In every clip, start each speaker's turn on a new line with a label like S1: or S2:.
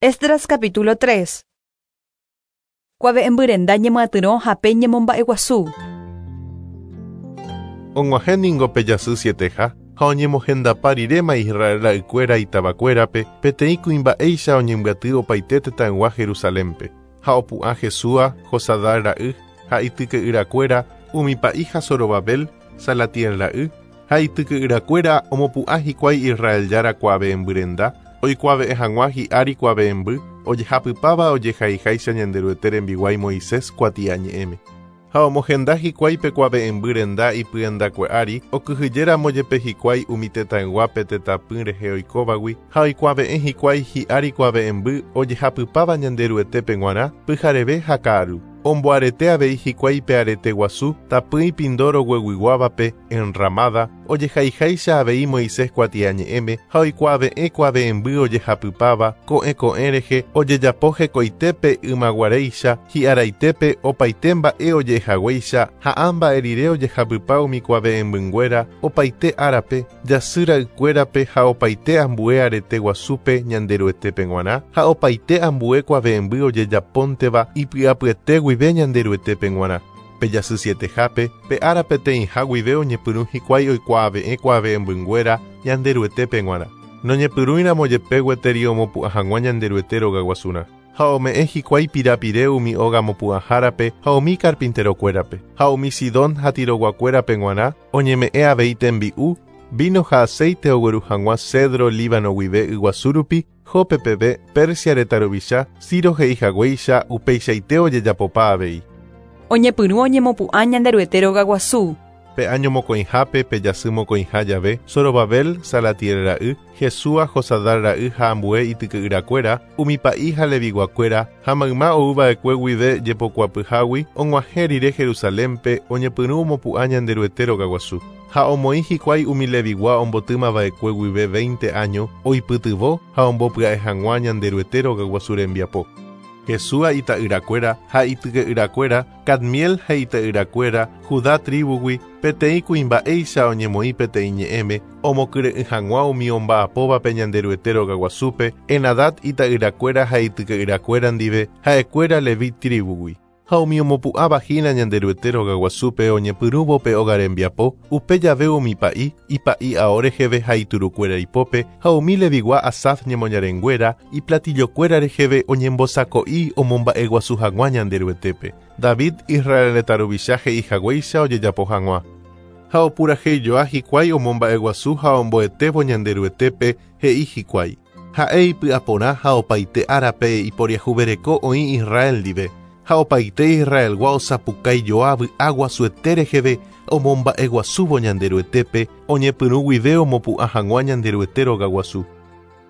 S1: Esdras capítulo 3. Kuave'ẽmby renda ñemyatyrõ ha pe ñemomba'eguasu.
S2: Og̃uahẽ ningo pe jasy sieteha, ha oñemohendapa riréma Israel ra'ykuéra itavakuérape, peteĩ kuimba'éicha oñembyaty opaite tetãygua Jerusalénpe. Ha opu'ã Jesúa, Josadá ra'y, ha ityke'yrakuéra, umi pa'i ha Zorobabel, Salatiel ra'y, ha ityke'yrakuéra omopu'ã hikuái Israel Jára kuave'ẽmby renda, oikuave'ẽ hag̃ua hi'ári kuave'ẽmby ojehapypáva ojehaiháicha Ñanderuete rembiguái Moisés kuatiañe'ẽme. Ha omohenda hikuái pe kuave'ẽmby renda ipyendakue ári, okyhyjéramo jepe hikuái umi tetãygua pe tetãpy rehe oikóvagui, ha oikuave'ẽ hikuái hi'ári kuave'ẽmby ojehapypáva Ñanderuetépe g̃uarã pyhareve ha ka'aru. Omboarete avei hikuái pe arete guasu tapỹi pindo rogueguiguávape Enramada, ojehaiháicha avei Moisés kuatiañe'ẽme ha oikuave'ẽ kuave'ẽmby ojehapypáva ko'ẽ ko'ẽ rehe ojejapo hekoitépe ymaguaréicha, hi'araitépe opaite mba'e oje'ehaguéicha ha ã mba'e rire ojehapypa umi kuave'ẽmbynguéra opaite árape, jasy ra'ykuérape ha opaite ambue arete guasúpe Ñanderuetépe g̃uarã ha opaite ambue kuave'ẽmby ojejapónteva ipy'apyete guive Ñanderuetépe g̃uarã. Pe jasy sietehápe, pe ára peteĩha guive oñepyrũ hikuái oikuaave'ẽ kuave'ẽmbynguéra Ñanderuetépe g̃uarã. Noñepyrũiramo jepe gueteri omopu'ã hag̃ua Ñanderuete rogaguasurã. Ha ome'ẽ hikuái pirapire umi óga mopu'ãhárape ha umi karpinterokuérape. Ha umi Sidón ha Tiroguakuérape g̃uarã oñeme'ẽ avei tembi'u, víno ha aséite ogueru hag̃ua cedro Líbano guive yguasu rupi, Jope peve, Persia retã ruvicha, Ciro he'i haguéicha upeichaite ojejapopa avei.
S1: Oñepyrũ oñemopu'ã Ñanderuete rogaguasu.
S2: Pe áño mokõihápe, pe jasy mokõiha jave, Zorobabel, Salatiel ra'y, Jesúa, Josadar ra'y ha ambue ityke'yrakuéra, umi pa'i ha Leviguakuéra, ha mayma ou va'ekue guive jepokuapyhágui, og̃uahẽ rire Jerusalénpe, oñepyrũ omopu'ã Ñanderuete rogaguasu. Ha omoĩ hikuái umi Levigua ombotýma va'ekue guive veinte áño, oipytyvõ ha ombopya'e hag̃ua Ñanderuete rogaguasu rembiapo. Jesúa ita'yrakuéra ha ityke'yrakuéra, Cadmiel ha ita'yrakuéra, Judá tríbugui, peteĩ kuimba'éicha oñemoĩ peteĩ ñe'ẽme, omokyre'ỹ hag̃ua umi omba'apóvape Ñanderuete rogaguasúpe, Henadad ita'yrakuéra ha ityke'yrakuéra ndive, ha'ekuéra Leví tríbugui. Ha umi omopu'ãva hína Ñanderuete rogaguasúpe oñepyrũvo pe óga rembiapo, upe jave umi pa'i, ipa'i ao reheve ha iturukuéra ipópe, ha umi Levigua Asaf ñemoñarenguéra, iplatillokuéra reheve oñembosako'i omomba'eguasu hag̃ua Ñanderuetépe, David, Israel retã ruvicha he'i haguéicha ojejapo hag̃ua. Ha opuraheijoa hikuái omomba'eguasu ha omboetévo Ñanderuetépe, he'i hikuái, Ha'e ipy'aporã ha opaite árape iporiahuvereko oĩ Israel ndive, ha opaite Israelgua osapukái joa vy'a guasuete reheve omomba'eguasúvo Ñanderuetépe, oñepyrũ guive omopu'ã hag̃ua Ñanderuete rogaguasu.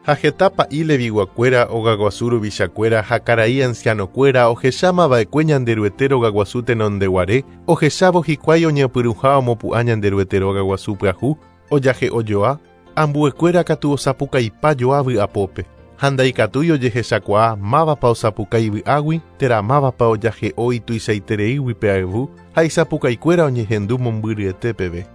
S2: Ha heta pa'i Leviguakuéra, ogaguasu ruvichakuéra ha karai ancianokuéra ohecháma va'ekue Ñanderuete rogaguasu tenondeguare, ohechávo hikuái oñepyrũha omopu'ã Ñanderuete rogaguasu pyahu, ojahe'o joa, Ambuekuéra katu osapukaipa joa vy'apópe, ha ndaikatúi ojehechakuaa mávapa osapukái vy'águi térã mávapa ojahe'o ituichaitereígui pe ayvu ha isapukaikuéra oñehendu mombyryete peve.